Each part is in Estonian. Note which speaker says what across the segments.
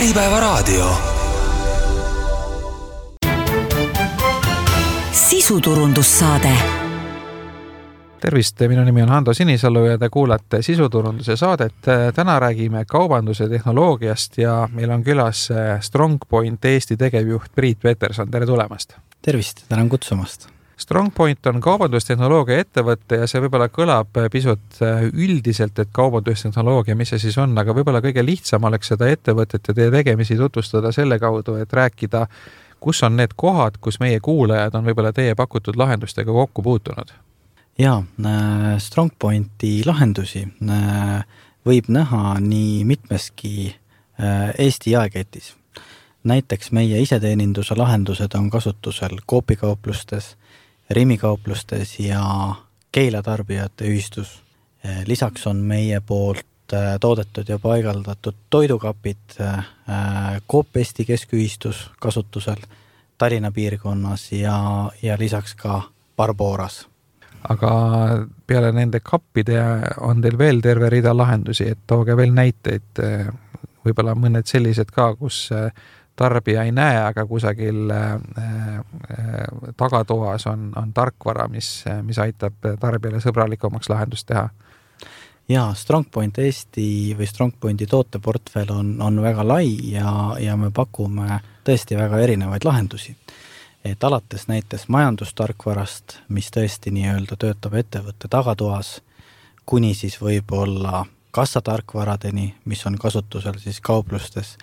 Speaker 1: Äripäevaraadio.
Speaker 2: Sisuturundussaade.
Speaker 3: Tervist, minu nimi on Hando Sinisalu ja te kuulate Sisuturunduse saadet. Täna räägime kaubanduse tehnoloogiast ja meil on külas StrongPoint Eesti tegevjuht Priit Peterson. Tere tulemast!
Speaker 4: Tervist, tänan kutsumast!
Speaker 3: StrongPoint on kaubandustehnoloogia ettevõte ja see võib-olla kõlab pisut üldiselt, et kaubandustehnoloogia, mis see siis on, aga võib-olla kõige lihtsam oleks seda ettevõtet ja teie tegemisi tutvustada selle kaudu, et rääkida, kus on need kohad, kus meie kuulajad on võib-olla teie pakutud lahendustega kokku puutunud.
Speaker 4: Jaa, StrongPointi lahendusi võib näha nii mitmeski Eesti jaeketis. Näiteks meie iseteeninduse lahendused on kasutusel koopikauplustes, rimikauplustes ja Keila tarbijate ühistus. Lisaks on meie poolt toodetud ja paigaldatud toidukapid Coop Eesti keskühistus kasutusel Tallinna piirkonnas ja lisaks ka Barboras.
Speaker 3: Aga peale nende kappide on teil veel terve rida lahendusi, et tooge veel näiteid, võib-olla mõned sellised ka, kus tarbija ei näe, aga kusagil tagatoas on tarkvara, mis aitab tarbijale sõbralikumaks lahendust teha.
Speaker 4: Jaa, StrongPoint Eesti või StrongPointi tooteportfell on väga lai ja me pakume tõesti väga erinevaid lahendusi. Et alates näiteks majandustarkvarast, mis tõesti nii-öelda töötab ettevõtte tagatoas, kuni siis võib-olla kassatarkvaradeni, mis on kasutusel siis kauplustes.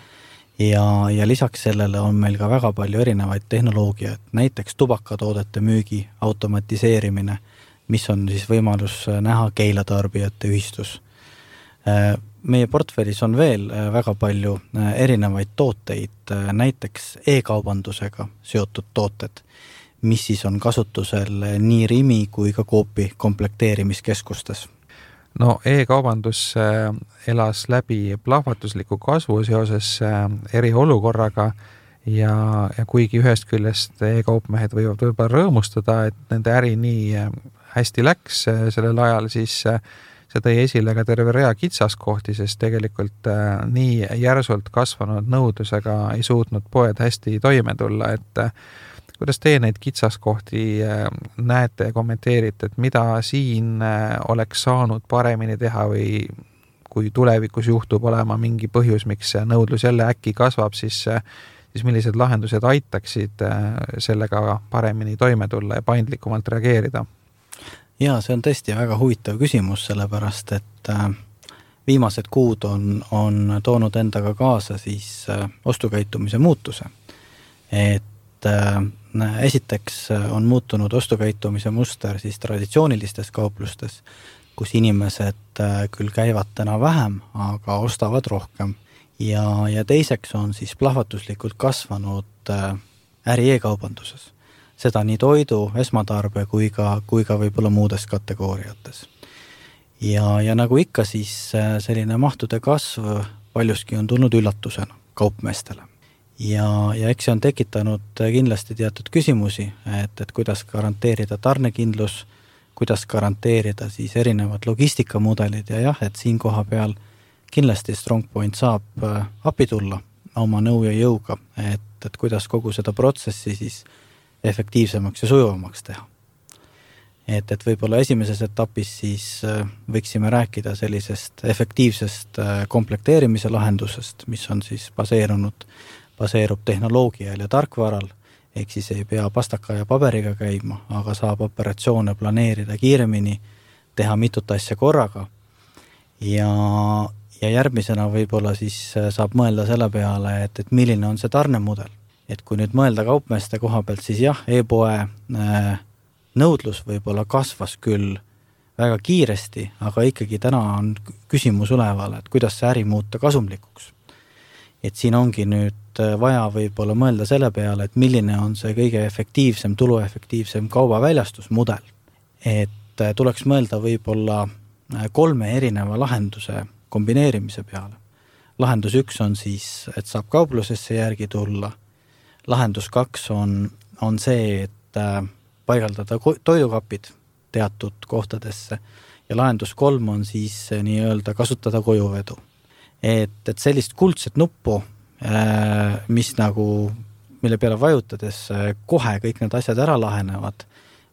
Speaker 4: Ja lisaks sellele on meil ka väga palju erinevaid tehnoloogiaid, näiteks tubakatoodete müügi automatiseerimine, mis on siis võimalus näha Keila tarbijate ühistus. Meie portfellis on veel väga palju erinevaid tooteid, näiteks e-kaubandusega seotud tooted, mis siis on kasutusel nii Rimi kui ka Coopi komplekteerimiskeskustes.
Speaker 3: No e-kaubandus elas läbi plahvatusliku kasvu seoses eriolukorraga ja kuigi ühest küljest e-kaupmehed võivad võib-olla rõõmustada, et nende äri nii hästi läks sellel ajal, siis see tõi esile ka terve rea kitsaskohti, sest tegelikult nii järsult kasvanud nõudlusega ei suutnud poed hästi toime tulla, et kuidas teie neid kitsaskohti näete ja kommenteerite, et mida siin oleks saanud paremini teha või kui tulevikus juhtub olema mingi põhjus, miks nõudlus jälle äkki kasvab, siis millised lahendused aitaksid sellega paremini toime tulla ja paindlikumalt reageerida?
Speaker 4: Jaa, see on tõesti väga huvitav küsimus, sellepärast, et viimased kuud on toonud endaga kaasa siis ostukäitumise muutuse. Et esiteks on muutunud ostukäitumise muster siis traditsioonilistes kauplustes, kus inimesed küll käivad täna vähem, aga ostavad rohkem. Ja teiseks on siis plahvatuslikult kasvanud äri e-kaubanduses. Seda nii toidu, esmatarbe kui ka võib-olla muudes kategooriates. Ja nagu ikka, siis selline mahtude kasv paljuski on tulnud üllatusena kaupmeestele. Ja eks see on tekitanud kindlasti teatud küsimusi, et kuidas garanteerida tarnekindlus, kuidas garanteerida siis erinevad logistikamudelid ja jah, et siin koha peal kindlasti StrongPoint saab appi tulla oma nõu ja jõuga, et kuidas kogu seda protsessi siis efektiivsemaks ja sujuvamaks teha. Et võib-olla esimeses etapis siis võiksime rääkida sellisest efektiivsest komplekteerimise lahendusest, mis on siis baseerub tehnoloogial ja tarkvaral, ehk siis ei pea pastaka ja paberiga käima, aga saab operatsioone planeerida kiiremini, teha mitut asja korraga ja järgmisena võib-olla siis saab mõelda selle peale, et milline on see tarnemudel. Et kui nüüd mõelda kaupmeeste koha pealt, siis jah, e-poe nõudlus võib-olla kasvas küll väga kiiresti, aga ikkagi täna on küsimus üleval, et kuidas see äri muuta kasumlikuks. Et siin ongi nüüd vaja võib-olla mõelda selle peale, et milline on see kõige efektiivsem, tuluefektiivsem kaubaväljastusmudel. Et tuleks mõelda võib-olla 3 erineva lahenduse kombineerimise peale. Lahendus 1 on siis, et saab kauplusesse järgi tulla. Lahendus 2 on see, et paigaldada toidukapid teatud kohtadesse ja lahendus 3 on siis nii-öelda kasutada kojuvedu. Et sellist kuldset nuppu mille peale vajutades kohe kõik need asjad ära lahenevad,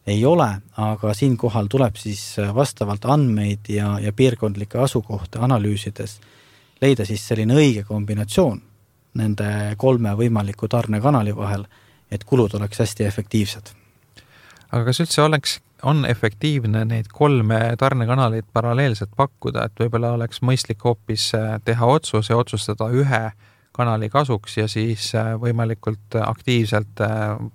Speaker 4: ei ole, aga siinkohal tuleb siis vastavalt andmeid ja piirkondlike asukohta analüüsides leida siis selline õige kombinatsioon nende 3 võimaliku tarnekanali vahel, et kulud oleks hästi efektiivsed.
Speaker 3: Aga kas üldse on efektiivne neid 3 tarnekanalit paralleelselt pakkuda, et võib-olla oleks mõistlik hoopis teha otsus ja otsustada ühe kanali kasuks ja siis võimalikult aktiivselt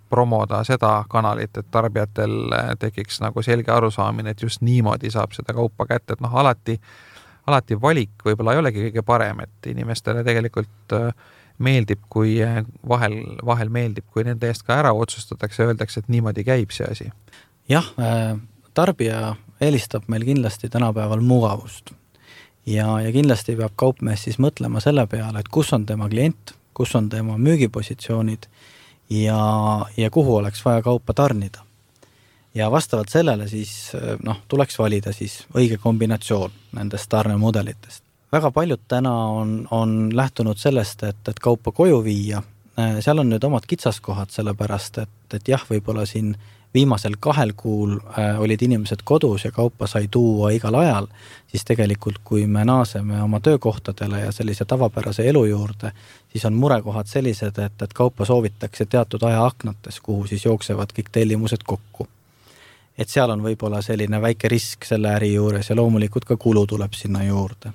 Speaker 3: promoda seda kanalit, et tarbijatel tekiks nagu selge arusaamine, et just niimoodi saab seda kaupa kätte, et alati valik võib-olla ei olegi kõige parem, et inimestele tegelikult meeldib, kui vahel meeldib, kui nende eest ka ära otsustatakse ja öeldakse, et niimoodi käib see asi.
Speaker 4: Jah, tarbija eelistab meil kindlasti tänapäeval mugavust. Ja kindlasti peab kaupmees siis mõtlema selle peale, et kus on tema klient, kus on tema müügipositsioonid ja kuhu oleks vaja kaupa tarnida. Ja vastavalt sellele siis tuleks valida siis õige kombinatsioon nendest tarnemudelitest. Väga paljud täna on lähtunud sellest, et kaupa koju viia. Seal on nüüd omad kitsaskohad sellepärast, et jah, võib-olla siin viimasel 2 kuul olid inimesed kodus ja kaupa sai tuua igal ajal, siis tegelikult kui me naaseme oma töökohtadele ja sellise tavapärase elu juurde, siis on murekohad sellised, et kaupa soovitakse teatud ajaaknates, kuhu siis jooksevad kõik tellimused kokku. Et seal on võib-olla selline väike risk selle äri juures ja loomulikult ka kulu tuleb sinna juurde.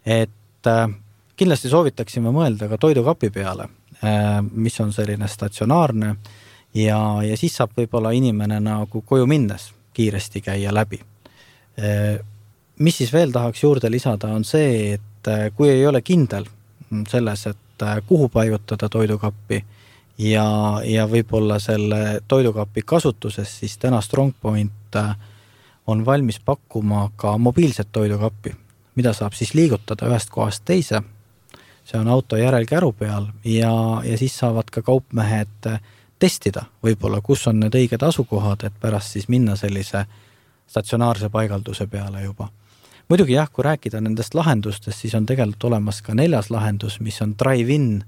Speaker 4: Et kindlasti soovitaksime mõelda ka toidukapi peale, mis on selline statsionaarne ja siis saab võib-olla inimene nagu koju minnes kiiresti käia läbi. Mis siis veel tahaks juurde lisada on see, et kui ei ole kindel selles, et kuhu paigutada toidukappi ja võib-olla selle toidukapi kasutuses, siis täna StrongPoint on valmis pakkuma ka mobiilset toidukappi, mida saab siis liigutada ühest kohast teise. See on auto järelkäru peal ja siis saavad ka kaupmehed testida võib-olla, kus on need õiged asukohad, et pärast siis minna sellise statsionaarse paigalduse peale juba. Muidugi jah, kui rääkida nendest lahendustest, siis on tegelikult olemas ka 4. lahendus, mis on drive-in,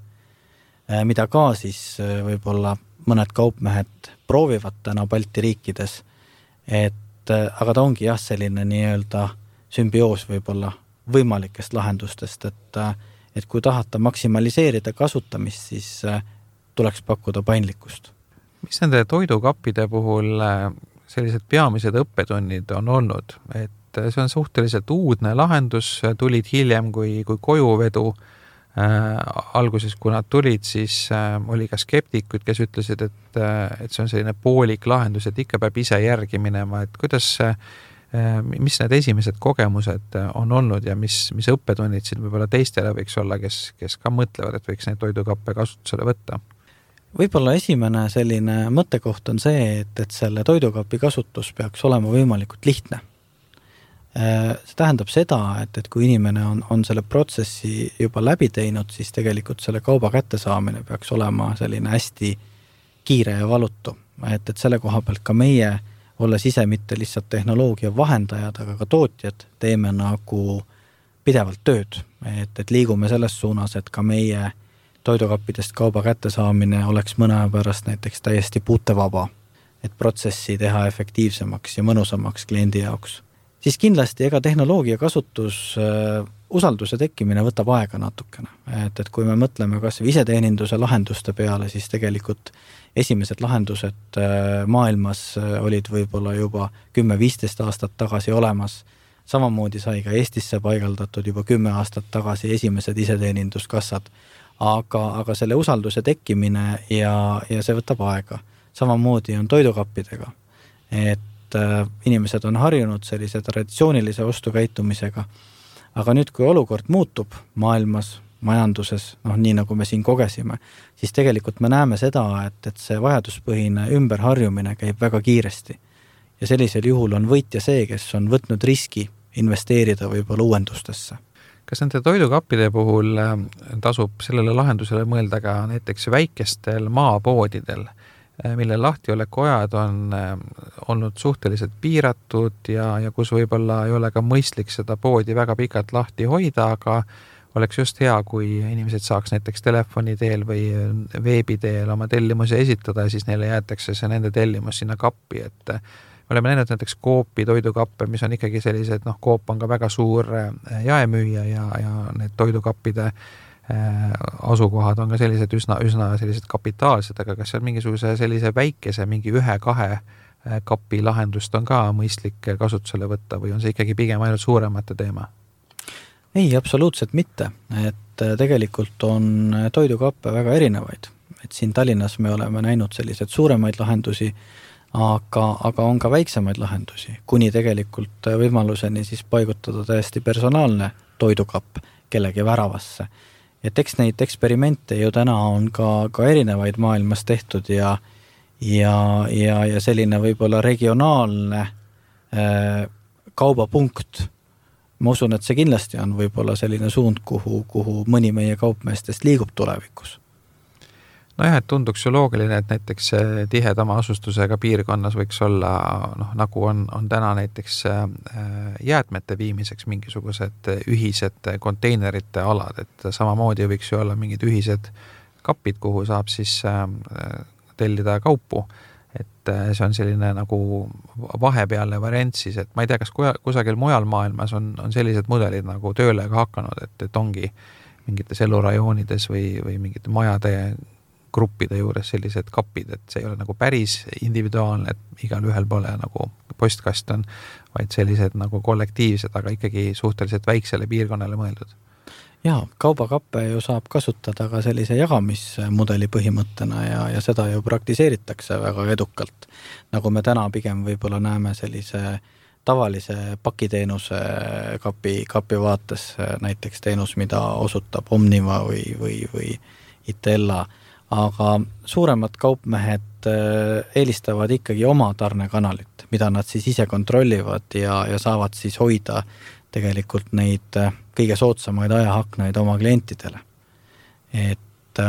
Speaker 4: mida ka siis võib-olla mõned kaupmehed proovivad täna Balti riikides, aga ta ongi jah selline nii-öelda sümbioos võib-olla võimalikest lahendustest, et kui tahata maksimaliseerida kasutamist, siis tuleks pakkuda paindlikkust.
Speaker 3: Mis nende toidukappide puhul sellised peamised õppetunnid on olnud? Et see on suhteliselt uudne lahendus, tulid hiljem kui kojuvedu. Alguses, kui nad tulid, siis oli ka skeptikud, kes ütlesid, et see on selline poolik lahendus, et ikka peab ise järgi minema. Et mis need esimesed kogemused on olnud ja mis õppetunnid siin võib-olla teistele võiks olla, kes ka mõtlevad, et võiks neid toidukappe kasutusele võtta?
Speaker 4: Võib-olla esimene selline mõttekoht on see, et selle toidukapi kasutus peaks olema võimalikult lihtne. See tähendab seda, et kui inimene on selle protsessi juba läbi teinud, siis tegelikult selle kauba kättesaamine peaks olema selline hästi kiire ja valutu. Et selle koha pealt ka meie, olles ise mitte lihtsalt tehnoloogia vahendajad, aga ka tootjad, teeme nagu pidevalt tööd. Et liigume selles suunas, et ka meie toidukappidest kauba kättesaamine oleks mõne aja pärast näiteks täiesti puutevaba, et protsessi teha efektiivsemaks ja mõnusamaks kliendi jaoks. Siis kindlasti ega tehnoloogia kasutus, usalduse tekkimine võtab aega natukene. Et kui me mõtleme kas iseteeninduse lahenduste peale, siis tegelikult esimesed lahendused maailmas olid võib-olla juba 10-15 aastat tagasi olemas. Samamoodi sai ka Eestisse paigaldatud juba 10 aastat tagasi esimesed iseteeninduskassad. Aga selle usalduse tekkimine ja see võtab aega. Samamoodi on toidukappidega, et inimesed on harjunud sellise traditsioonilise ostukäitumisega, aga nüüd, kui olukord muutub maailmas, majanduses, nii nagu me siin kogesime, siis tegelikult me näeme seda, et see vajaduspõhine ümberharjumine käib väga kiiresti. Ja sellisel juhul on võitja see, kes on võtnud riski investeerida võib-olla uuendustesse.
Speaker 3: Kas nende toidukappide puhul tasub sellele lahendusele mõelda ka näiteks väikestel maapoodidel, mille lahtiolekuajad on olnud suhteliselt piiratud ja kus võib-olla ei ole ka mõistlik seda poodi väga pikalt lahti hoida, aga oleks just hea, kui inimesed saaks näiteks telefoni teel või veebi teel oma tellimusi esitada ja siis neile jäetakse see nende tellimus sinna kappi, et me oleme näinud näiteks Coopi toidukappe, mis on ikkagi sellised, Coop on ka väga suur jaemüüja ja need toidukappide asukohad on ka sellised üsna sellised kapitaalsed, aga kas seal mingisuguse sellise väikese, mingi 1-2 kapi lahendust on ka mõistlik kasutusele võtta või on see ikkagi pigem ainult suuremate teema?
Speaker 4: Ei, absoluutselt mitte, et tegelikult on toidukappe väga erinevaid, et siin Tallinnas me oleme näinud sellised suuremaid lahendusi, aga on ka väiksemaid lahendusi, kuni tegelikult võimaluseni siis paigutada täiesti personaalne toidukapp kellegi väravasse. Et eks neid eksperimente ju täna on ka erinevaid maailmas tehtud ja selline võib-olla regionaalne kaubapunkt. Ma usun, et see kindlasti on võib-olla selline suund, kuhu mõni meie kaupmeestest liigub tulevikus.
Speaker 3: Nojah, et tunduks ju loogiline, et näiteks tihedama asustusega piirkonnas võiks olla, nagu on täna näiteks jäätmete viimiseks mingisugused ühised konteinerite alad, et samamoodi võiks ju olla mingid ühised kapid, kuhu saab siis tellida kaupu, et see on selline nagu vahepealne variant siis, et ma ei tea, kas kusagil mujal maailmas on sellised mudelid nagu tööle ka hakanud, et ongi mingites elurajoonides või mingite majade gruppide juures sellised kapid, et see ei ole nagu päris individuaalne, et igal ühel pole nagu postkast on, vaid sellised nagu kollektiivsed, aga ikkagi suhteliselt väiksele piirkonnale mõeldud.
Speaker 4: Jaa, kaubakappe ju saab kasutada ka sellise jagamismudeli põhimõttena ja seda ju praktiseeritakse väga edukalt. Nagu me täna pigem võib-olla näeme sellise tavalise pakiteenuse kapi vaates, näiteks teenus, mida osutab Omniva või Itella, aga suuremad kaupmehed eelistavad ikkagi oma tarnekanalit, mida nad siis ise kontrollivad ja saavad siis hoida tegelikult neid kõige soodsamaid ajahaknaid oma klientidele. Et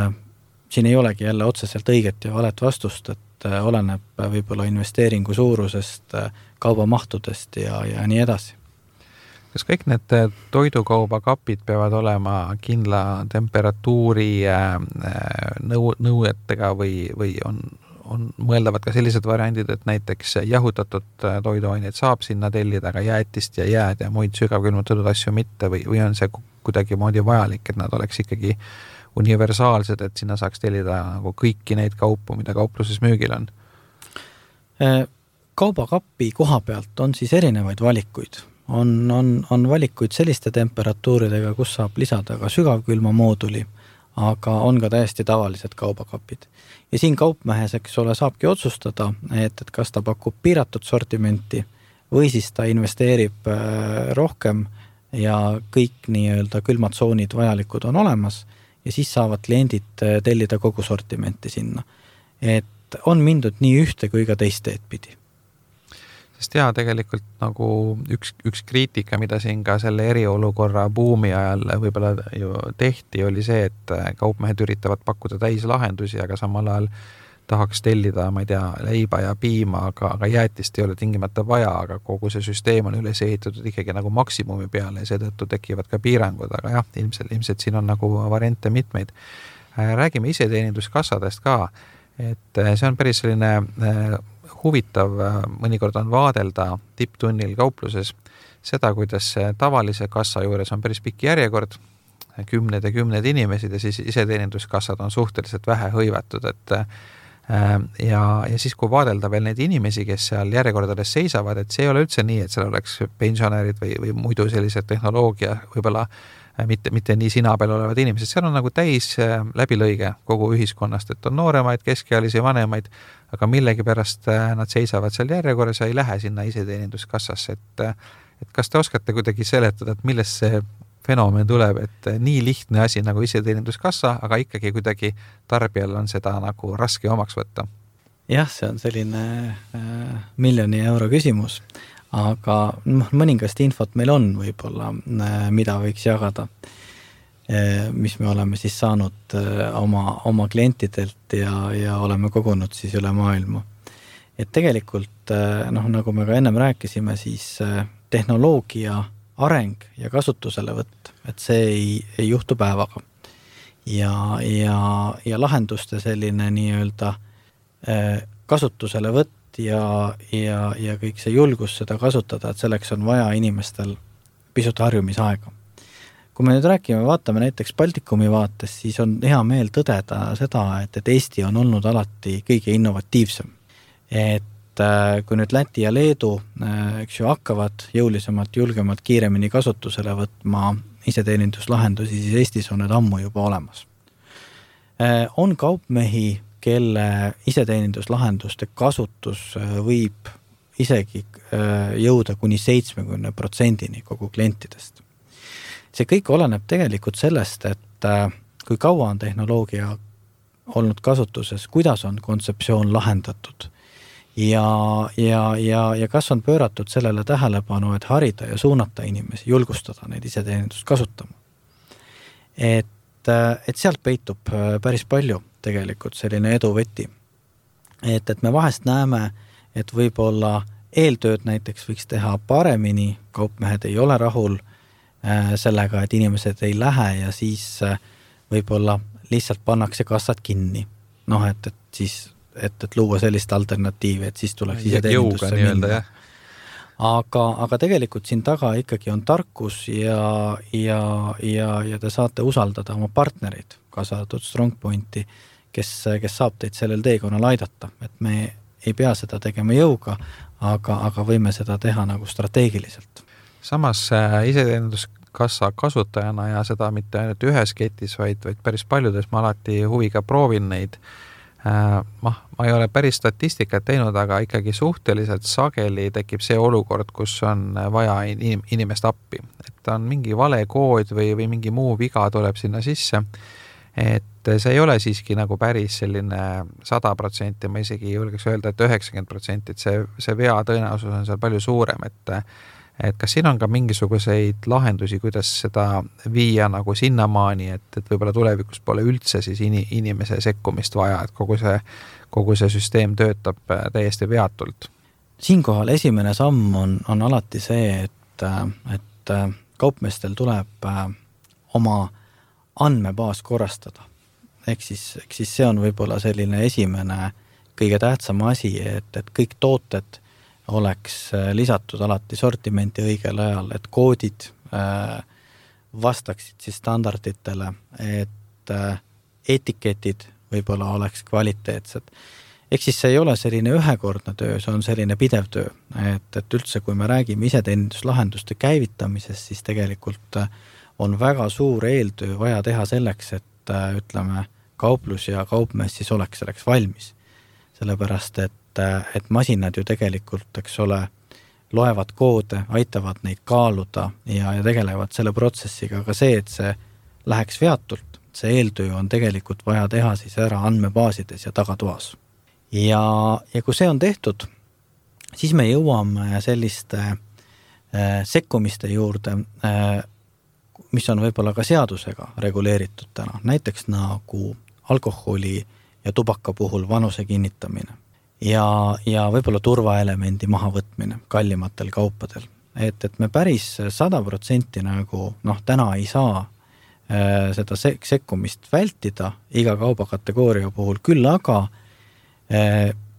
Speaker 4: siin ei olegi jälle otseselt õiget ja valet vastust, et oleneb võib-olla investeeringu suurusest, kaubamahtudest ja nii edasi.
Speaker 3: Kas kõik need toidukaubakapid peavad olema kindla temperatuuri nõuetega või on mõeldavad ka sellised variandid, et näiteks jahutatud toiduaineid saab sinna tellida, aga jäätist ja jääd ja muid sügavkülmutatud asju mitte või on see kuidagi moodi vajalik, et nad oleks ikkagi universaalsed, et sinna saaks tellida nagu kõiki neid kaupu, mida kaupluses müügil on?
Speaker 4: Kaubakappi koha pealt on siis erinevaid valikuid. On valikuid selliste temperatuuridega, kus saab lisada ka sügavkülma mooduli, aga on ka täiesti tavalised kaubakapid. Ja siin kaupmehes, eks ole, saabki otsustada, et kas ta pakub piiratud sortimenti või siis ta investeerib rohkem ja kõik nii-öelda külmatsoonid vajalikud on olemas ja siis saavad kliendid tellida kogu sortimenti sinna. Et on mindud nii ühte kui ka teist teed pidi.
Speaker 3: Sest tegelikult nagu üks kriitika, mida siin ka selle eriolukorra buumi ajal võib-olla ju tehti, oli see, et kaupmehed üritavad pakkuda täislahendusi, aga samal ajal tahaks tellida, ma ei tea, leiba ja piima, aga jäätist ei ole tingimata vaja, aga kogu see süsteem on üles ehitatud ikkagi nagu maksimumi peale ja seetõttu tekivad ka piirangud, aga jah, ilmselt siin on nagu variante mitmeid. Räägime iseteeninduskassadest ka, et see on päris selline huvitav, mõnikord on vaadelda tipptunnil kaupluses seda, kuidas tavalise kassa juures on päris pikk järjekord, kümned ja kümned inimesed ja siis iseteeninduskassad on suhteliselt vähe hõivatud, et ja siis kui vaadelda veel neid inimesi, kes seal järjekordades seisavad, et see ei ole üldse nii, et seal oleks pensionärid või muidu sellised tehnoloogia võib-olla mitte nii sina peal olevad inimesed, seal on nagu täis läbilõige kogu ühiskonnast, et on nooremaid, keskealisi, vanemaid, aga millegipärast nad seisavad seal järjekorras ja ei lähe sinna iseteeninduskassasse, et kas te oskate kuidagi seletada, et millest see fenomen tuleb, et nii lihtne asi nagu iseteeninduskassa, aga ikkagi kuidagi tarbijal on seda nagu raske omaks võtta?
Speaker 4: Jah, see on selline miljoni euro küsimus, aga mõningast infot meil on võib-olla, mida võiks jagada, mis me oleme siis saanud oma klientidelt ja oleme kogunud siis üle maailma. Et tegelikult, nagu me ka ennem rääkisime, siis tehnoloogia areng ja kasutuselevõtt, et see ei juhtu päevaga. Ja lahenduste selline nii-öelda kasutuselevõtt ja kõik see julgus seda kasutada, et selleks on vaja inimestel pisut harjumisaega. Kui me nüüd vaatame näiteks Baltikumi vaates, siis on hea meel tõdeda seda, et Eesti on olnud alati kõige innovatiivsem. Et kui nüüd Läti ja Leedu hakkavad jõulisemalt, julgemalt, kiiremini kasutusele võtma iseteeninduslahendusi, siis Eestis on need ammu juba olemas. On kaupmehi, kelle iseteeninduslahenduste kasutus võib isegi jõuda kuni 70% kogu klientidest. See kõik oleneb tegelikult sellest, et kui kaua on tehnoloogia olnud kasutuses, kuidas on kontseptsioon lahendatud ja kas on pööratud sellele tähelepanu, et harida ja suunata inimesi, julgustada neid iseteenindust kasutama. Et sealt peitub päris palju tegelikult selline eduvõti. Et me vahest näeme, et võib-olla eeltööd näiteks võiks teha paremini, kaupmehed ei ole rahul sellega, et inimesed ei lähe ja siis võib-olla lihtsalt pannakse kassad kinni. Et luua sellist alternatiivi, et siis tuleks iseteenindusse minna. Aga tegelikult siin taga ikkagi on tarkus ja te saate usaldada oma partnerid, kaasa arvatud StrongPointi, kes saab teid sellel teekonnal aidata. Et me ei pea seda tegema jõuga, aga võime seda teha nagu strateegiliselt.
Speaker 3: Samas iseteeninduskassa kasutajana ja seda mitte ainult ühes ketis, vaid päris paljudes ma alati huviga proovin neid. Ma ei ole päris statistikat teinud, aga ikkagi suhteliselt sageli tekib see olukord, kus on vaja inimest appi. Et on mingi vale kood või mingi muu viga tuleb sinna sisse. Et see ei ole siiski nagu päris selline 100%, ma isegi julgeks öelda, et 90%, et see vea tõenäosus on seal palju suurem, et kas siin on ka mingisuguseid lahendusi, kuidas seda viia nagu sinnamaani, et võib-olla tulevikus pole üldse siis inimese sekkumist vaja, et kogu see süsteem töötab täiesti veatult?
Speaker 4: Siinkohal esimene samm on alati see, et kaupmeestel tuleb oma andmebaas korrastada. Ehk siis see on võib-olla selline esimene kõige tähtsam asi, et kõik tooted oleks lisatud alati sortimenti õigel ajal, et koodid vastaksid siis standarditele, et etiketid võib-olla oleks kvaliteetsed. Ehk siis see ei ole selline ühekordne töö, see on selline pidev töö, et üldse kui me räägime iseteeninduslahenduste käivitamisest, siis tegelikult on väga suur eeltöö vaja teha selleks, et ütleme, kauplus ja kaupmees siis oleks selleks valmis. Sellepärast, et masinad ju tegelikult, eks ole, loevad koode, aitavad neid kaaluda ja tegelevad selle protsessiga, aga see, et see läheks veatult, see eeltöö on tegelikult vaja teha siis ära andmebaasides ja tagatoas. Ja kui see on tehtud, siis me jõuame selliste sekkumiste juurde, mis on võib-olla ka seadusega reguleeritud täna, näiteks nagu alkoholi ja tubaka puhul vanuse kinnitamine ja võib-olla turvaelemendi mahavõtmine kallimatel kaupadel. Et me päris 100% nagu täna ei saa seda sekkumist vältida iga kaubakategooria puhul, küll aga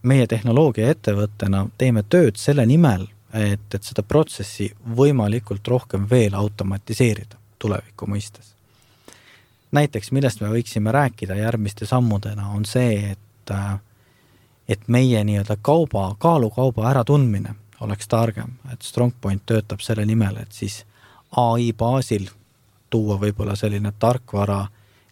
Speaker 4: meie tehnoloogia ettevõttena teeme tööd selle nimel, et seda protsessi võimalikult rohkem veel automatiseerida tuleviku mõistes. Näiteks, millest me võiksime rääkida järgmiste sammudena, on see, et meie nii-öelda kaalukauba äratundmine oleks targem, et StrongPoint töötab selle nimel, et siis AI baasil tuua võib-olla selline tarkvara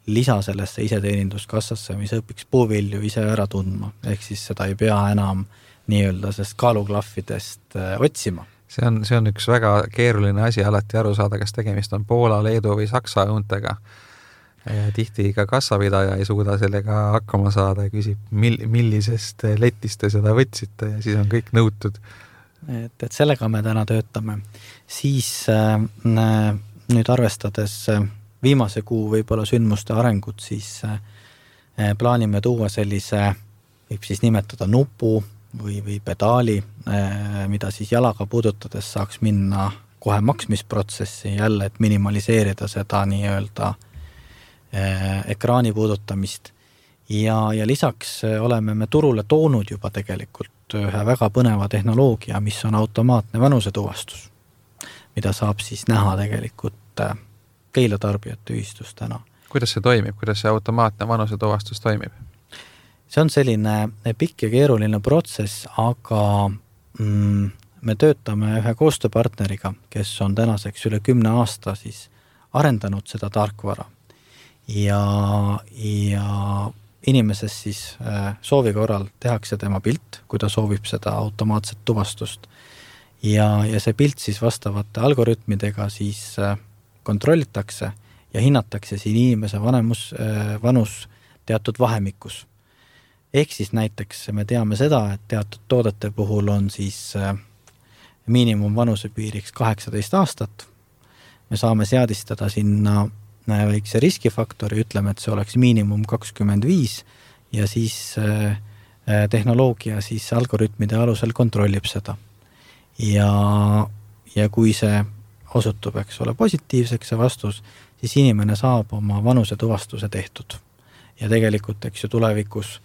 Speaker 4: lisa sellesse iseteeninduskassasse, mis õpiks puuvilju ise ära tundma, ehk siis seda ei pea enam nii-öelda sest kaaluklaffidest otsima.
Speaker 3: See on üks väga keeruline asi alati aru saada, kas tegemist on Poola, Leedu või Saksa õuntega. Ja tihti ka kassapidaja ei suuda sellega hakkama saada ja küsib, millisest letist te seda võtsite ja siis on kõik nõutud.
Speaker 4: Et sellega me täna töötame. Siis nüüd arvestades viimase kuu võib-olla sündmuste arengut, siis plaanime tuua sellise, võib siis nimetada nupu või pedaali, mida siis jalaga puudutades saaks minna kohe maksmisprotsessi jälle, et minimaliseerida seda nii-öelda ekraani puudutamist. Ja lisaks oleme me turule toonud juba tegelikult ühe väga põneva tehnoloogia, mis on automaatne vanusetuvastus, mida saab siis näha tegelikult Keila tarbijate ühistus täna.
Speaker 3: Kuidas see toimib? Kuidas see automaatne vanusetuvastus toimib?
Speaker 4: See on selline pikk ja keeruline protsess, aga me töötame ühe koostööpartneriga, kes on tänaseks üle 10 aasta siis arendanud seda tarkvara. Ja inimeses siis soovi korral tehakse tema pilt, kui ta soovib seda automaatset tuvastust. Ja see pilt siis vastavate algoritmidega siis kontrollitakse ja hinnatakse siin inimese vanus teatud vahemikus. Ehk siis näiteks me teame seda, et teatud toodete puhul on siis miinimum vanusepiiriks 18 aastat. Me saame seadistada sinna väikse riskifaktori, ütleme, et see oleks miinimum 25 ja siis tehnoloogia siis algoritmide alusel kontrollib seda. Ja kui see osutub, eks ole, positiivseks see vastus, siis inimene saab oma vanusetuvastuse tehtud. Ja tegelikult, eks ju, tulevikus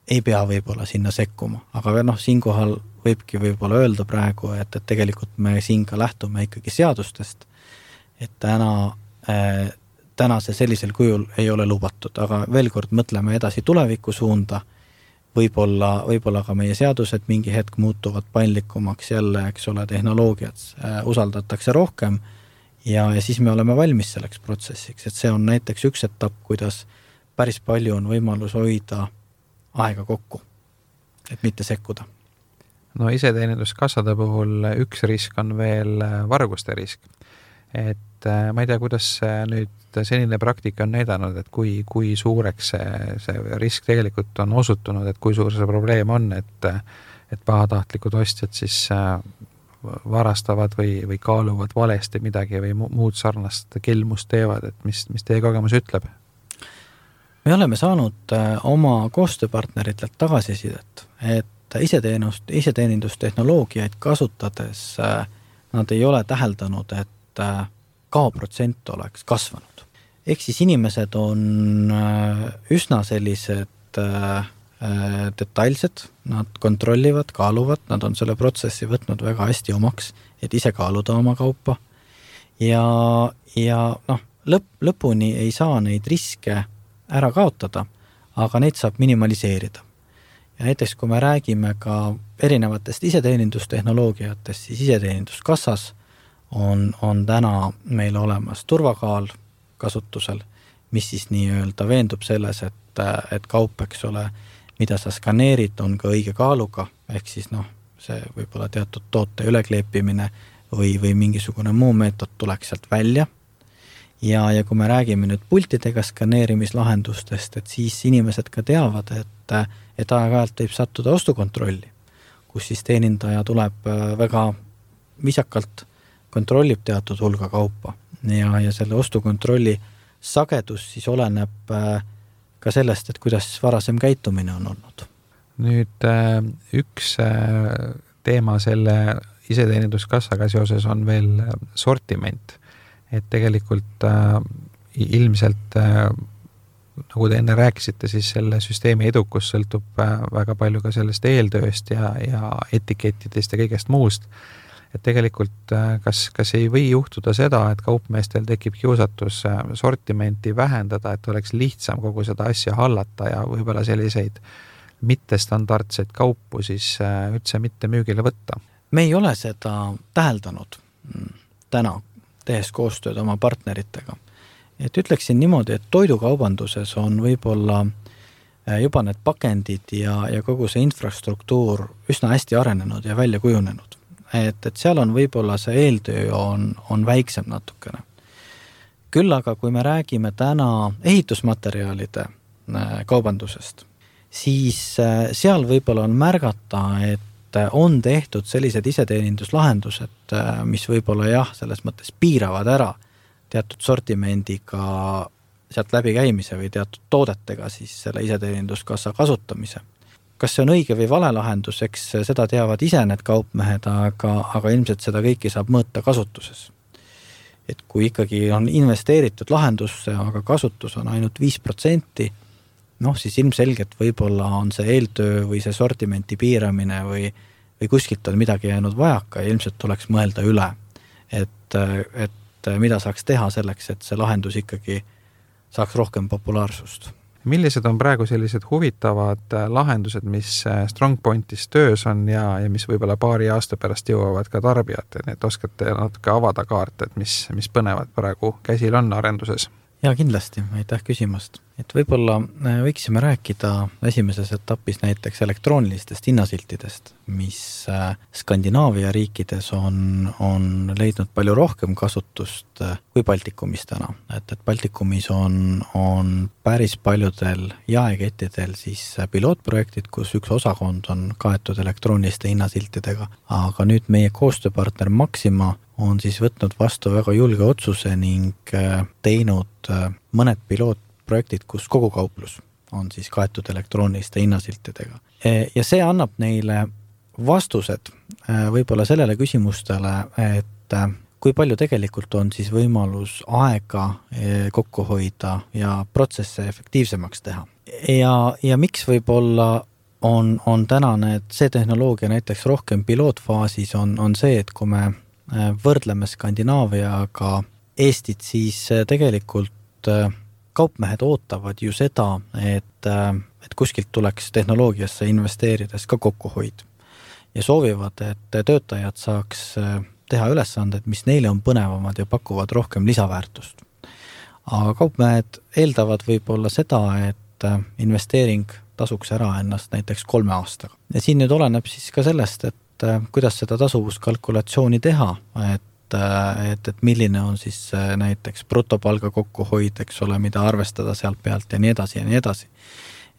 Speaker 4: ei pea võib-olla sinna sekkuma, aga siinkohal võibki võib-olla öelda praegu, et tegelikult me siin ka lähtume ikkagi seadustest, et täna see sellisel kujul ei ole lubatud, aga veel kord mõtleme edasi tuleviku suunda, võib-olla ka meie seadused mingi hetk muutuvad paindlikumaks jälle, eks ole, tehnoloogiat usaldatakse rohkem ja siis me oleme valmis selleks protsessiks, et see on näiteks üks etapp, kuidas päris palju on võimalus hoida aega kokku, et mitte sekkuda.
Speaker 3: No iseteeninduskassade puhul üks risk on veel varguste risk. Et ma ei tea, kuidas nüüd senine praktika on näidanud, et kui suureks see risk tegelikult on osutunud, et kui suur see probleem on, et pahatahtlikud ostjad siis varastavad või kaaluvad valesti midagi või muud sarnast kelmust teevad, et mis teie kogemus ütleb?
Speaker 4: Me oleme saanud oma koostööpartneritelt tagasisidet, et iseteenindustehnoloogiaid kasutades nad ei ole täheldanud, et kaoprotsent oleks kasvanud. Ehk siis inimesed on üsna sellised detailsed, nad kontrollivad, kaaluvad, nad on selle protsessi võtnud väga hästi omaks, et ise kaaluda oma kaupa. Ja lõpuni ei saa neid riske ära kaotada, aga neid saab minimaliseerida. Ja näiteks, kui me räägime ka erinevatest iseteenindustehnoloogiatest, siis iseteeninduskassas on täna meil olemas turvakaal kasutusel, mis siis nii-öelda veendub selles, et kaup, eks ole, mida sa skaneerid, on ka õige kaaluga, ehk siis see võib-olla teatud toote ülekleepimine või mingisugune muu meetod tuleks sealt välja. Ja kui me räägime nüüd pultidega skaneerimislahendustest, et siis inimesed ka teavad, et aeg-ajalt võib sattuda ostukontrolli, kus siis teenindaja tuleb väga viisakalt kontrollib teatud hulga kaupa ja selle ostukontrolli sagedus siis oleneb ka sellest, et kuidas varasem käitumine on olnud.
Speaker 3: Nüüd üks teema selle iseteeninduskassaga seoses on veel sortiment, et tegelikult ilmselt nagu te enne rääkisite, siis selle süsteemi edukus sõltub väga palju ka sellest eeltööst ja etikettidest ja kõigest muust. Et tegelikult kas ei või juhtuda seda, et kaupmeestel tekib kiusatus sortimenti vähendada, et oleks lihtsam kogu seda asja hallata ja võib-olla selliseid mittestandardseid kaupu siis üldse mitte müügile võtta?
Speaker 4: Me ei ole seda täheldanud täna, tehes koostööd oma partneritega. Et ütleksin niimoodi, et toidukaubanduses on võib-olla juba need pakendid ja kogu see infrastruktuur üsna hästi arenenud ja välja kujunenud. Et seal on võib-olla see eeltöö on väiksem natukene. Küll aga kui me räägime täna ehitusmaterjalide kaubandusest, siis seal võib-olla on märgata, et on tehtud sellised iseteeninduslahendused, mis võib-olla selles mõttes piiravad ära teatud sortimendiga sealt läbi käimise või teatud toodetega siis selle iseteeninduskassa kasutamise. kas see on õige või vale lahendus, eks seda teavad ise need kaupmehed, aga ilmselt seda kõiki saab mõõta kasutuses. Et kui ikkagi on investeeritud lahendusse, aga kasutus on ainult 5%, siis ilmselgelt võib-olla on see eeltöö või see sortimenti piiramine või kuskilt on midagi jäänud vajaka ja ilmselt tuleks mõelda üle, et mida saaks teha selleks, et see lahendus ikkagi saaks rohkem populaarsust.
Speaker 3: Millised on praegu sellised huvitavad lahendused, mis StrongPointis töös on ja mis võib-olla paari aasta pärast jõuavad ka tarbijateni, et oskate natuke avada kaarte, et mis põnevad praegu käsil on arenduses?
Speaker 4: Ja kindlasti, aitäh küsimast. Et võib-olla võiksime rääkida esimeses etapis näiteks elektroonilistest hinnasiltidest, mis Skandinaavia riikides on leidnud palju rohkem kasutust kui Baltikumis täna. Et Baltikumis on päris paljudel jaekettidel siis pilootprojektid, kus üks osakond on kaetud elektrooniliste hinnasiltidega, aga nüüd meie koostööpartner Maxima on siis võtnud vastu väga julge otsuse ning teinud mõned pilootprojektid, kus kogu kauplus on siis kaetud elektrooniliste hinnasiltidega. Ja see annab neile vastused võib-olla sellele küsimustele, et kui palju tegelikult on siis võimalus aega kokku hoida ja protsesse efektiivsemaks teha. Ja miks võib-olla on tänane, et see tehnoloogia näiteks rohkem pilootfaasis on see, et kui me võrdleme Skandinaaviaga Eestit, siis tegelikult kaupmehed ootavad ju seda, et kuskilt tuleks tehnoloogiasse investeerides ka kokkuhoid ja soovivad, et töötajad saaks teha ülesanded, mis neile on põnevamad ja pakuvad rohkem lisaväärtust. Aga kaupmehed eeldavad võib-olla seda, et investeering tasuks ära ennast näiteks 3 aastaga. Ja siin nüüd oleneb siis ka sellest, et kuidas seda tasuvuskalkulatsiooni teha, et milline on siis näiteks brutopalga kokkuhoid, eks ole, mida arvestada sealt pealt ja nii edasi ja nii edasi.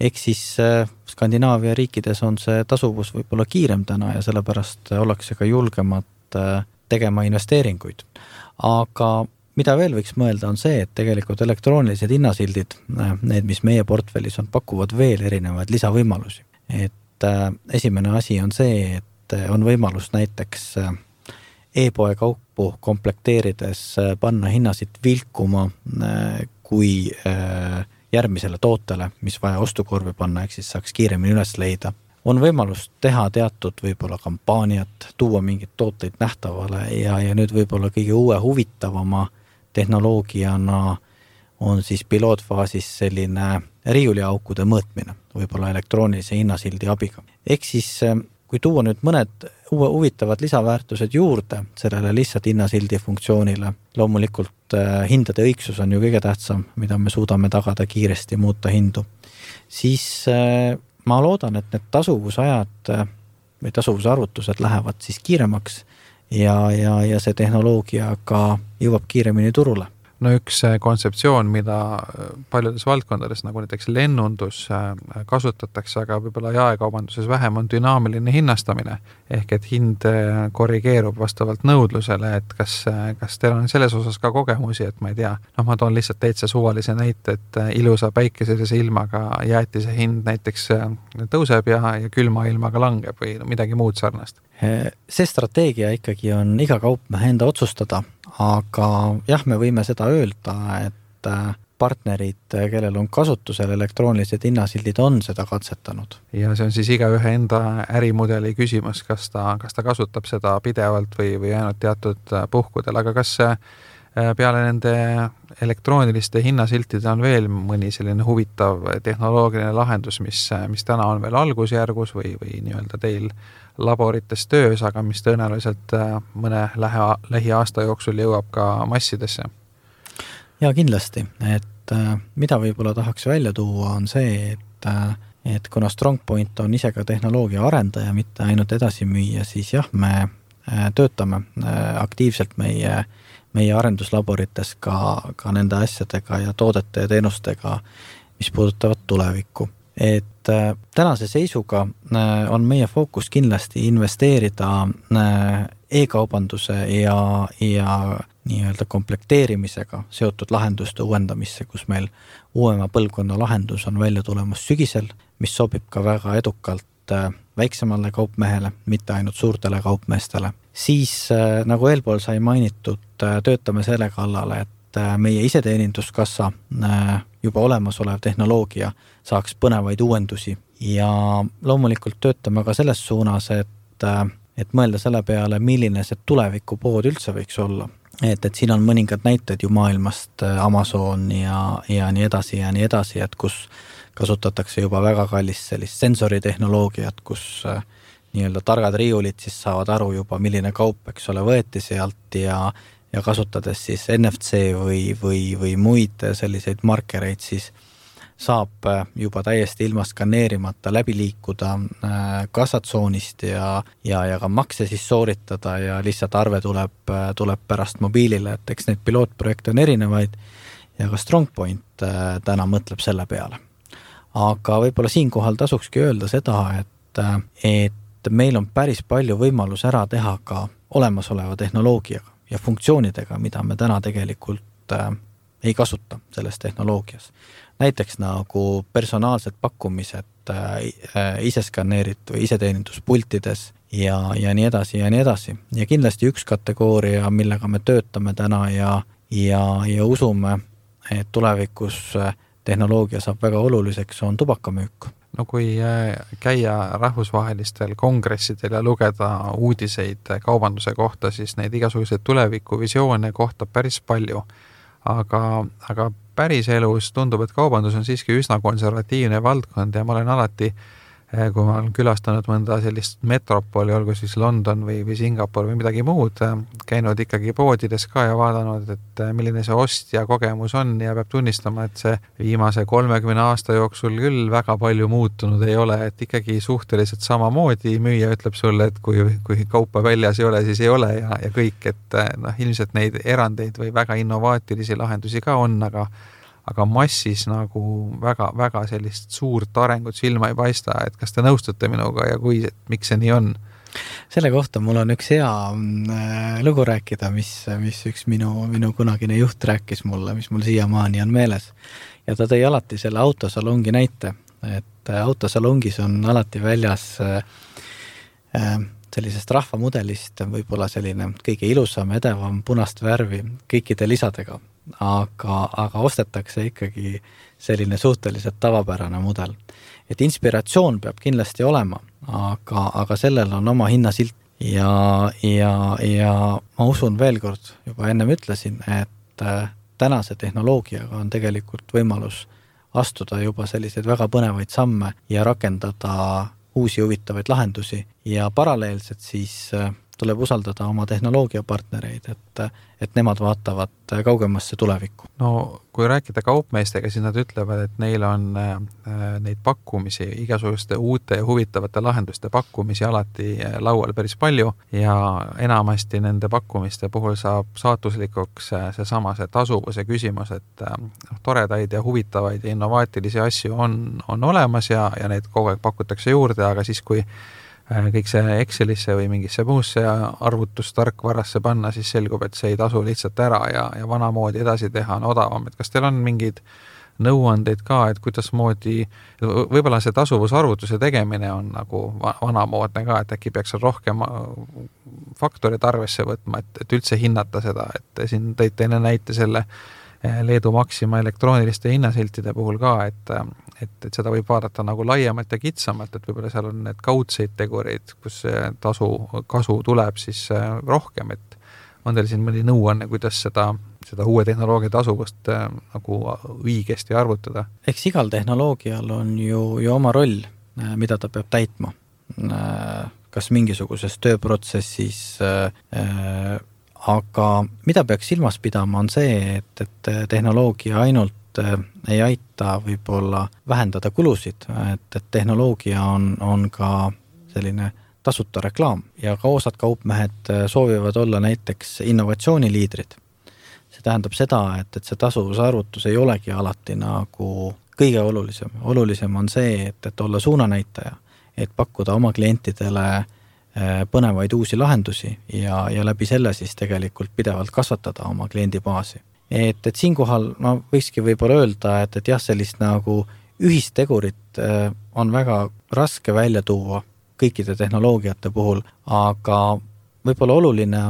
Speaker 4: Ehk siis Skandinaavia riikides on see tasuvus võib-olla kiirem täna ja sellepärast ollakse ka julgemad tegema investeeringuid. Aga mida veel võiks mõelda on see, et tegelikult elektroonilised hinnasildid, need, mis meie portfellis on, pakuvad veel erinevaid lisavõimalusi. Et esimene asi on see, et on võimalus näiteks e-poe kaupu komplekteerides panna hinnasid vilkuma kui järgmisele tootele, mis vaja ostukorvi panna, ehk siis saaks kiiremini üles leida. On võimalus teha teatud võib-olla kampaaniat, tuua mingid tooteid nähtavale ja nüüd võib-olla kõige uue huvitavama tehnoloogiana on siis pilootfaasis selline riiuliaukude mõõtmine, võib-olla elektroonilise hinnasildi abiga. Ehk siis kui tuua nüüd mõned uue huvitavad lisaväärtused juurde sellele lihtsalt hinnasildi funktsioonile, loomulikult hindade õigsus on ju kõige tähtsam, mida me suudame tagada kiiresti muuta hindu, siis ma loodan, et need tasuvusajad või tasuvusarvutused lähevad siis kiiremaks ja see tehnoloogia ka jõuab kiiremini turule.
Speaker 3: No üks kontseptsioon, mida paljudes valdkondades, nagu näiteks lennundus kasutatakse, aga võib-olla jaekaubanduses vähem, on dünaamiline hinnastamine. Ehk et hind korrigeerub vastavalt nõudlusele, et kas teil on selles osas ka kogemusi, et ma ei tea, ma toon lihtsalt täitsa suvalise näite, et ilusa päikeselise ilmaga jäetise hind näiteks tõuseb ja külma ilmaga langeb või midagi muud sarnast.
Speaker 4: See strateegia ikkagi on iga kaupmehe enda otsustada, aga jah, me võime seda öelda, et partnerid, kellel on kasutusel elektroonilised hinnasildid, on seda katsetanud.
Speaker 3: Ja see on siis igaühe enda ärimudeli küsimus, kas ta kasutab seda pidevalt või ainult teatud puhkudel, aga kas peale nende elektrooniliste hinnasiltide on veel mõni selline huvitav tehnoloogiline lahendus, mis täna on veel algusjärgus või nii-öelda teil laborites töös, aga mis tõenäoliselt mõne lähiaasta jooksul jõuab ka massidesse?
Speaker 4: Ja kindlasti, et mida võib-olla tahaks välja tuua on see, et kuna StrongPoint on ise ka tehnoloogia arendaja, mitte ainult edasi müüa, siis jah, me töötame aktiivselt meie arenduslaborites ka nende asjadega ja toodete ja teenustega, mis puudutavad tulevikku. Et tänase seisuga on meie fookus kindlasti investeerida e-kaubanduse ja nii-öelda komplekteerimisega seotud lahenduste uuendamisse, kus meil uuema põlvkonna lahendus on välja tulemas sügisel, mis sobib ka väga edukalt väiksemale kaupmehele, mitte ainult suurtele kaupmeestele. Siis, nagu eelpool sai mainitud, töötame selle kallale, et meie iseteeninduskassa juba olemasolev tehnoloogia saaks põnevaid uuendusi ja loomulikult töötame ka selles suunas, et mõelda selle peale, milline see tulevikupood üldse võiks olla. Et siin on mõningad näited ju maailmast, Amazon ja nii edasi, et kus kasutatakse juba väga kallist sellist sensoritehnoloogiat, kus nii-öelda targad riiulid siis saavad aru juba, milline kaup, eks ole, võeti sealt ja kasutades siis NFC või muid selliseid markereid, siis saab juba täiesti ilma skaneerimata läbi liikuda kassatsoonist ja ka makse siis sooritada ja lihtsalt arve tuleb pärast mobiilile, et eks neid pilootprojekte on erinevaid ja ka StrongPoint täna mõtleb selle peale. Aga võib-olla siinkohal tasukski öelda seda, et meil on päris palju võimalus ära teha ka olemasoleva tehnoloogiaga ja funktsioonidega, mida me täna tegelikult ei kasuta selles tehnoloogias. Näiteks nagu personaalsed pakkumised iseskaneeritud või iseteeninduspultides ja nii edasi ja nii edasi. Ja kindlasti üks kategooria, millega me töötame täna ja usume, et tulevikus tehnoloogia saab väga oluliseks, on tubakamüük.
Speaker 3: No kui käia rahvusvahelistel kongressidel ja lugeda uudiseid kaubanduse kohta, siis neid igasuguseid tulevikuvisioone kohtab päris palju. Aga päris elus tundub, et kaubandus on siiski üsna konservatiivne valdkond ja ma olen alati, kui ma olen külastanud mõnda sellist metropoli, olgu siis London või Singapur või midagi muud, käinud ikkagi poodides ka ja vaadanud, et milline see ostja kogemus on ja peab tunnistama, et see viimase 30 aasta jooksul küll väga palju muutunud ei ole, et ikkagi suhteliselt samamoodi müüja ütleb sulle, et kui kaupa väljas ei ole, siis ei ole ja kõik, et ilmselt neid erandeid või väga innovaatilisi lahendusi ka on, aga massis nagu väga sellist suurt arengut silma ei paista, et kas te nõustute minuga ja miks see nii on?
Speaker 4: Selle kohta mul on üks hea lugu rääkida, mis üks minu kunagine juht rääkis mulle, mis mul siiamaani on meeles. Ja ta tõi alati selle autosalongi näite, et autosalongis on alati väljas sellisest rahvamudelist võib-olla selline kõige ilusam, edevam punast värvi kõikide lisadega. Aga ostetakse ikkagi selline suhteliselt tavapärane mudel. Et inspiratsioon peab kindlasti olema, aga sellel on oma hinnasilt ja ma usun veel kord, juba ennem ütlesin, et tänase tehnoloogiaga on tegelikult võimalus astuda juba selliseid väga põnevaid samme ja rakendada uusi huvitavaid lahendusi ja paralleelselt siis tuleb usaldada oma tehnoloogiapartnereid, et nemad vaatavad kaugemasse tulevikku.
Speaker 3: No kui rääkida kaupmeestega, siis nad ütlevad, et neil on neid pakkumisi, igasuguste uute ja huvitavate lahenduste pakkumisi alati laual päris palju ja enamasti nende pakkumiste puhul saab saatuslikuks see tasuvuse küsimus, et toredaid ja huvitavaid ja innovaatilisi asju on olemas ja neid kogu aeg pakutakse juurde, aga siis kui kõik see Excelisse või mingisse muusse arvutustarkvarasse panna, siis selgub, et see ei tasu lihtsalt ära ja vanamoodi edasi teha on odavam. Et kas teil on mingid nõuandeid ka, et kuidasmoodi, võib-olla see tasuvusarvutuse tegemine on nagu vanamoodne ka, et äkki peaks rohkem faktorid arvesse võtma, et üldse hinnata seda, et siin tõite enne näite selle Leedu Maxima elektrooniliste hinnasiltide puhul ka, et seda võib vaadata nagu laiemalt ja kitsamalt, et võib-olla seal on need kaudseid tegureid, kus kasu tuleb siis rohkem, et on teil siin mõni nõuanne, kuidas seda uue tehnoloogia tasuvust nagu õigesti arvutada? Eks
Speaker 4: igal tehnoloogial on ju oma roll, mida ta peab täitma. Kas mingisuguses tööprotsessis aga mida peaks silmas pidama on see, et tehnoloogia ainult ei aita võib-olla vähendada kulusid, et tehnoloogia on ka selline tasuta reklaam ja ka osad kaupmehed soovivad olla näiteks innovatsiooniliidrid. See tähendab seda, et see tasuvusarvutus ei olegi alati nagu kõige olulisem. Olulisem on see, et olla suunanäitaja, et pakkuda oma klientidele põnevaid uusi lahendusi ja läbi selle siis tegelikult pidevalt kasvatada oma kliendibaasi. Et siinkohal võikski võib-olla öelda, et jah, sellist nagu ühistegurit on väga raske välja tuua kõikide tehnoloogiate puhul, aga võib-olla oluline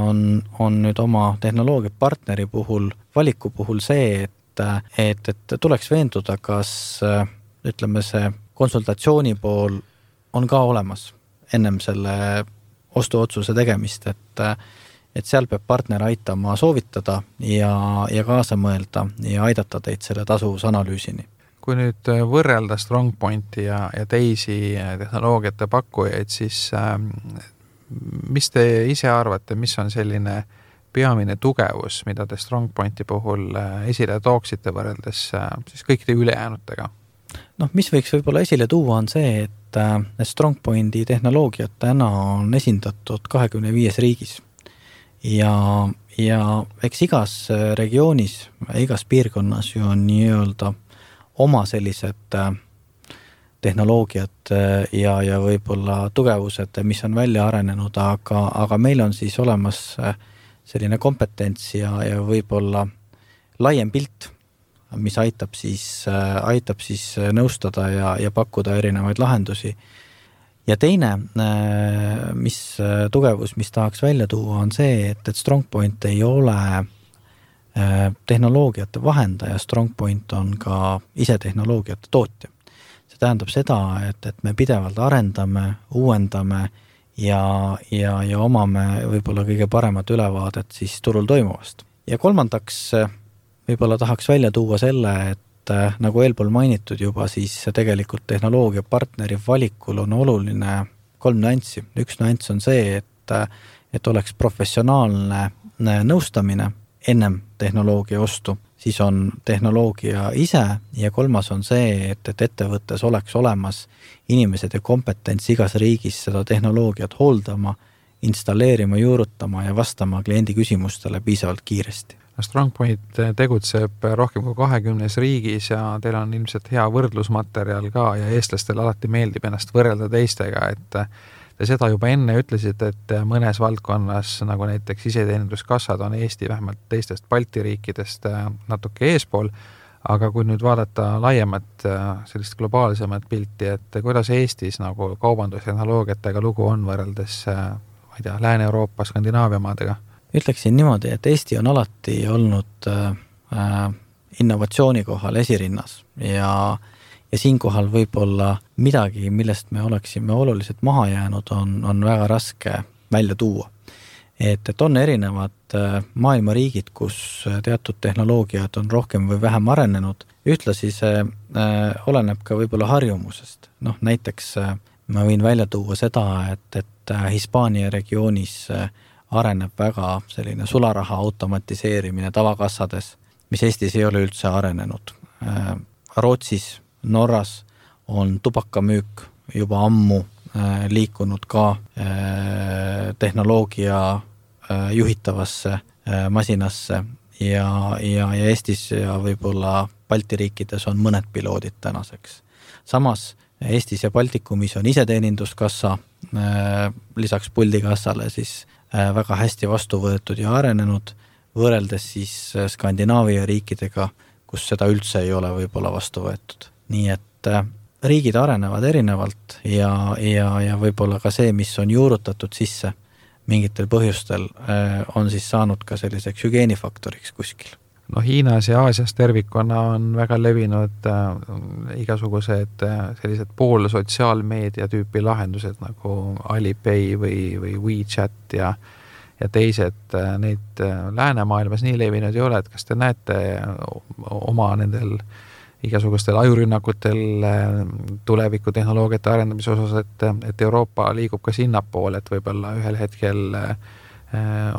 Speaker 4: on nüüd oma tehnoloogiapartneri puhul, valiku puhul see, et tuleks veenduda, kas ütleme see konsultatsiooni pool on ka olemas ennem selle ostuotsuse tegemist, et seal peab partner aitama soovitada ja kaasa mõelda ja aidata teid selle tasuvusanalüüsini.
Speaker 3: Kui nüüd võrrelda StrongPointi ja teisi tehnoloogiate pakkujaid, siis mis te ise arvate, mis on selline peamine tugevus, mida te StrongPointi puhul esile tooksite võrreldes siis kõikide ülejäänutega?
Speaker 4: Mis võiks võib-olla esile tuua on see, et StrongPointi tehnoloogiat täna on esindatud 25 riigis ja eks igas regioonis, igas piirkonnas ju on nii-öelda oma sellised tehnoloogiad ja võib-olla tugevused, mis on välja arenenud, aga meil on siis olemas selline kompetents ja võib-olla laiem pilt, mis aitab siis nõustada ja pakkuda erinevaid lahendusi. Ja teine tugevus, mis tahaks välja tuua, on see, et StrongPoint ei ole tehnoloogiate vahendaja, StrongPoint on ka ise tehnoloogiate tootja. See tähendab seda, et me pidevalt arendame, uuendame ja omame võib-olla kõige paremat ülevaadet siis turul toimuvast. Ja kolmandaks võib-olla tahaks välja tuua selle, et nagu eelpool mainitud juba, siis tegelikult tehnoloogiapartneri valikul on oluline 3 nüanssi. Üks nüanss on see, et oleks professionaalne nõustamine ennem tehnoloogia ostu, siis on tehnoloogia ise ja kolmas on see, et ettevõttes oleks olemas inimesed ja kompetents igas riigis seda tehnoloogiat hooldama, installeerima, juurutama ja vastama kliendi küsimustele piisavalt kiiresti.
Speaker 3: StrongPoint tegutseb rohkem kui 20 riigis ja teil on ilmselt hea võrdlusmaterjal ka ja eestlastel alati meeldib ennast võrrelda teistega, et te seda juba enne ütlesite, et mõnes valdkonnas, nagu näiteks iseteeninduskassad, on Eesti vähemalt teistest Balti riikidest natuke eespool, aga kui nüüd vaadata laiemat, sellist globaalsemat pilti, et kuidas Eestis nagu kaubandustehnoloogiatega lugu on võrreldes, Lääne-Euroopa, Skandinaavia maadega?
Speaker 4: Ütleksin niimoodi, et Eesti on alati olnud innovatsiooni kohal esirinnas ja siinkohal võib-olla midagi, millest me oleksime oluliselt maha jäänud, on väga raske välja tuua. Et on erinevad maailma riigid, kus teatud tehnoloogiad on rohkem või vähem arenenud. Ühtlasi see oleneb ka võib-olla harjumusest. Näiteks ma võin välja tuua seda, et Hispaania regioonis areneb väga selline sularaha automatiseerimine tavakassades, mis Eestis ei ole üldse arenenud. Rootsis, Norras on tubakamüük juba ammu liikunud ka tehnoloogia juhitavasse masinasse ja Eestis ja võib-olla Balti riikides on mõned piloodid tänaseks. Samas Eestis ja Baltikumis on iseteeninduskassa lisaks puldikassale siis väga hästi vastu võetud ja arenenud, võrreldes siis Skandinaavia riikidega, kus seda üldse ei ole võib-olla vastu võetud. Nii et riigid arenevad erinevalt ja võib-olla ka see, mis on juurutatud sisse mingitel põhjustel, on siis saanud ka selliseks hügieenifaktoriks kuskil.
Speaker 3: Hiinas ja Aasias tervikuna on väga levinud igasugused sellised poolsotsiaalmeedia tüüpi lahendused nagu Alipay või WeChat ja teised, neid läänemaailmas nii levinud ei ole, et kas te näete oma nendel igasugustel ajurünnakutel tulevikutehnoloogiate arendamise osas, et Euroopa liigub ka sinnapoole, et võib-olla ühel hetkel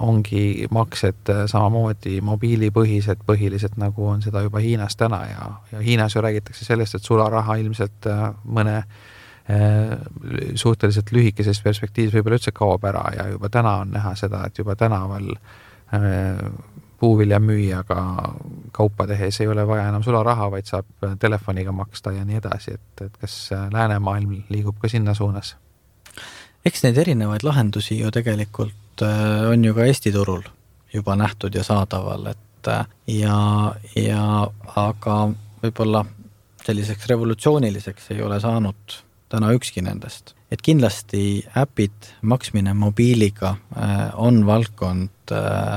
Speaker 3: ongi maksed samamoodi mobiilipõhised põhiliselt, nagu on seda juba Hiinas täna ja Hiinas ju räägitakse sellest, et sularaha ilmselt mõne suhteliselt lühikeses perspektiivis võib-olla üldse kaob ära ja juba täna on näha seda, et juba tänaval puuvilja müüjaga kaupa tehes ei ole vaja enam sularaha, vaid saab telefoniga maksta ja nii edasi, et kas läänemaailm liigub ka sinna suunas?
Speaker 4: Eks neid erinevaid lahendusi ju tegelikult on ju ka Eesti turul juba nähtud ja saadaval, et aga võib-olla selliseks revolutsiooniliseks ei ole saanud täna ükski nendest. Et kindlasti äpid, maksmine mobiiliga on valdkond,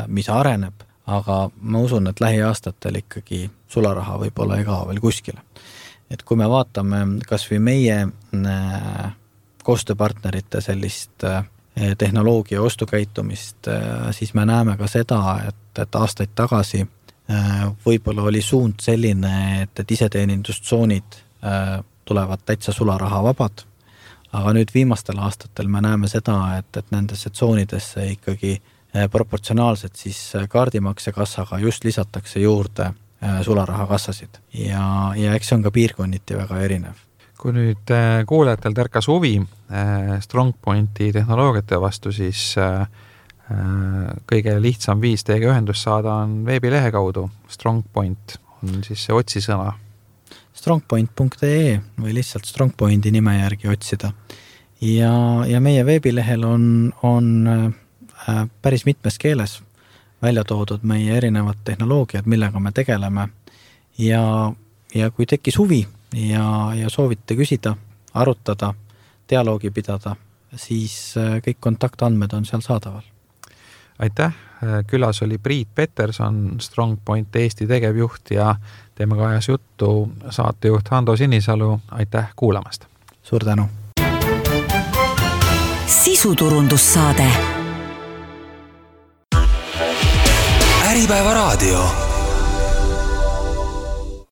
Speaker 4: mis areneb, aga ma usun, et lähiaastatel ikkagi sularaha võib-olla ei kao veel kuskile. Et kui me vaatame kas või meie koostööpartnerite sellist tehnoloogia ostukäitumist, siis me näeme ka seda, et aastaid tagasi võib-olla oli suund selline, et iseteenindustsoonid tulevad täitsa sularaha vabad, aga nüüd viimastel aastatel me näeme seda, et nendesse tsoonidesse ikkagi proportsionaalselt siis kaardimaksekassaga just lisatakse juurde sularahakassasid ja eks see on ka piirkonniti väga erinev.
Speaker 3: Kui nüüd kuulajatel tärkas huvi StrongPointi tehnoloogiate vastu, siis kõige lihtsam viis teiega ühendust saada on veebilehe kaudu. StrongPoint on siis see otsisõna.
Speaker 4: strongpoint.ee või lihtsalt StrongPointi nime järgi otsida. Ja meie veebilehel on päris mitmes keeles välja toodud meie erinevad tehnoloogiad, millega me tegeleme. Ja kui tekkis huvi ja soovite küsida, arutada, dialoogi pidada, siis kõik kontaktandmed on seal saadaval.
Speaker 3: Aitäh, külas oli Priit Peterson, StrongPoint Eesti tegevjuht ja temaga ajas juttu saatejuht Hando Sinisalu. Aitäh kuulamast!
Speaker 4: Suur tänu!
Speaker 2: Sisuturundussaade.
Speaker 1: Äripäeva raadio.